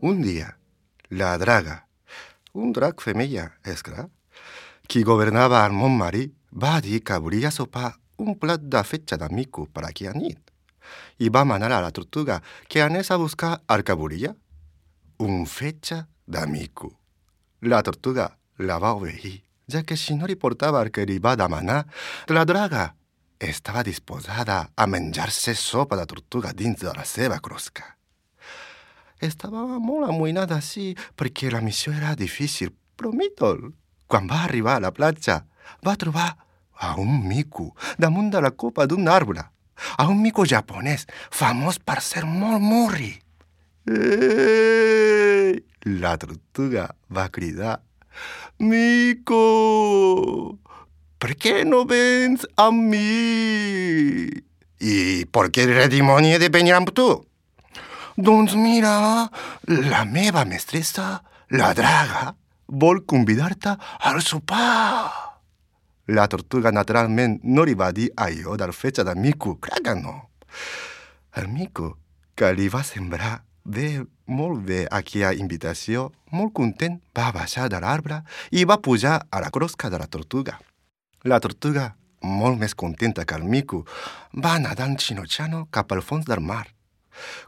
Un dia, la draga, un drac femella, és clar, qui governava el món marí, va dir que volia sopar un plat de fetge de mico per aquella nit. I va manar a la tortuga que anés a buscar el que volia, un fetge de mico. La tortuga la va obeir, ja que si no li portava el que li va demanar, la draga estava disposada a menjar-se sopa de tortuga dins de la seva closca. Estava molt amoïnada, sí, perquè la missió era difícil, però Mítol, quan va arribar a la platja, va trobar a un mico damunt de la copa d'un arbre, a un mico japonès, famós per ser molt murri. Ei! La tortuga va cridar: «Mico, per què no vens amb mi? I per què dimoni he de venir amb tu?» «Doncs mira, la meva mestressa, la draga, vol convidar-te al sopar». La tortuga naturalment no li va dir allò del fetge de mico, clar que no. El mico, que li va sembrar molt bé aquella invitació, molt content, va baixar de l'arbre i va pujar a la closca de la tortuga. La tortuga, molt més contenta que el mico, va nedant xinotxano cap al fons del mar.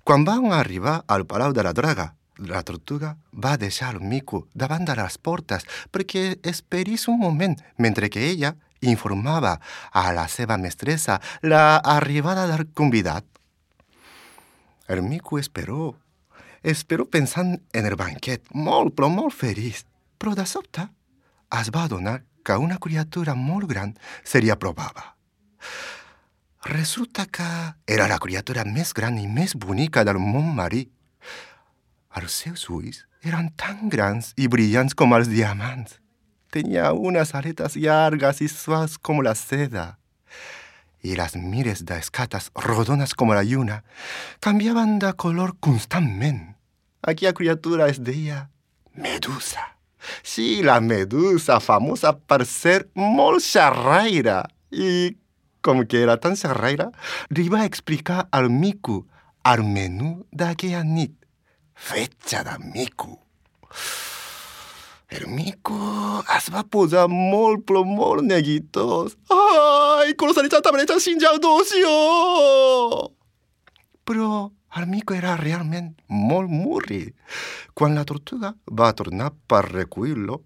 Quan van arribar al palau de la draga, la tortuga va deixar el mico davant de les portes perquè esperís un moment mentre que ella informava a la seva mestressa l'arribada del convidat. El mico esperó pensant en el banquet, molt però molt feliç, però de sobte es va adonar que una criatura molt gran se li apropava. Resulta que era la criatura més gran i més bonica del món marí. Els seus ulls eren tan grans i brillants com els diamants. Tenia unes aletes llargues i suaus com la seda. I les mires d'escates rodones com la lluna canviaven de color constantment. Aquella criatura es deia Medusa. Sí, la Medusa, famosa per ser molt xerraire. I com que era tan xerraire, li va explicar al mico el menú d'aquella nit. Fetge de mico. El mico es va posar molt, però molt neguitós. Ai, 殺されちゃう、食べれちゃう、死んじゃう、どうしよう! Però el mico era realment molt murri. Quan la tortuga va tornar per recollir-lo,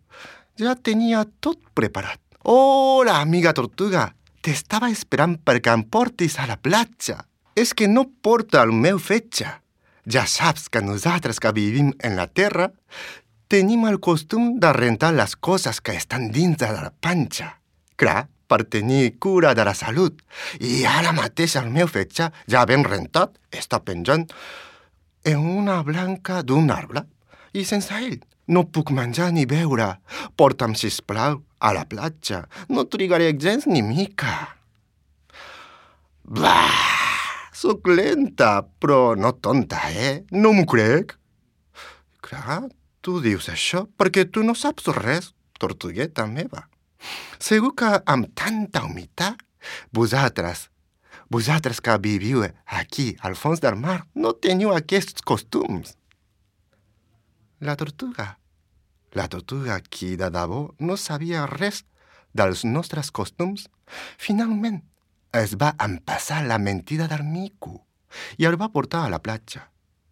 ja tenia tot preparat. Hola, amiga tortuga! T'estava esperant perquè em portis a la platja. És que no porta el meu fetge. Ja saps que nosaltres que vivim en la terra tenim el costum de rentar les coses que estan dins de la panxa. Clar, per tenir cura de la salut. I ara mateix el meu fetge, ja ben rentat, està penjant en una branca d'un arbre. I sense ell no puc menjar ni beure. Porta'm, sisplau, a la platja. No trigaré gens ni mica. Bah! Soc lenta, però no tonta, No m'ho crec. Clar, tu dius això perquè tu no saps res, tortugueta meva. Segur que amb tanta humitat, vosaltres que viviu aquí al fons del mar, no teniu aquests costums. La tortuga, qui de debò no sabia res dels nostres costums, finalment es va empassar la mentida del mico. i el va portar a la platja.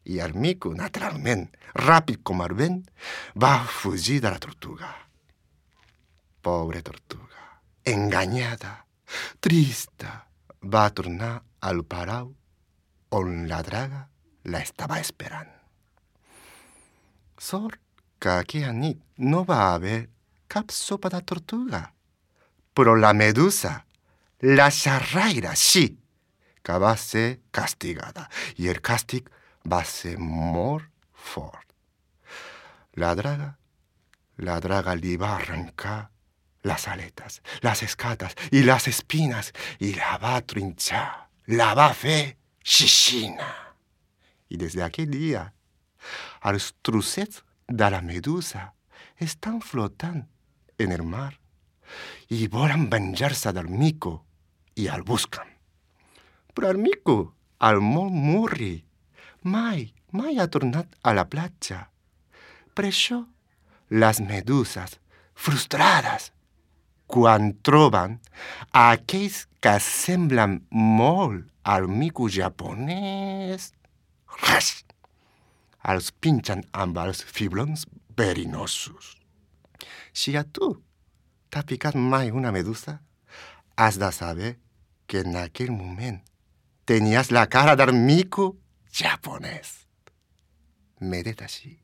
I el mico, naturalment, ràpid com el vent, va fugir de la tortuga. Pobre tortuga, enganyada, trista, va tornar al palau on la draga la estava esperant. Sort que aquella nit no va haver cap sopa de tortuga, però la medusa, la xerraire, sí, que va ser castigada, i el càstig va ser molt fort. La draga li va arrencar les aletes, les escates i les espines i la va trinxar, la va fer xixina. I des d'aquell dia, els trossets de la medusa estan flotant en el mar i volen venjar-se del mico i el busquen. Però el mico, al molt murri, mai ha tornat a la platja. Per això, les meduses, frustrades, quan troben aquells que semblen molt al mico japonès, els pinxen amb els fiblons verinosos. Si a tu t'ha picat mai una medusa, has de saber que en aquell moment tenies la cara del mico japonès. Medeta així.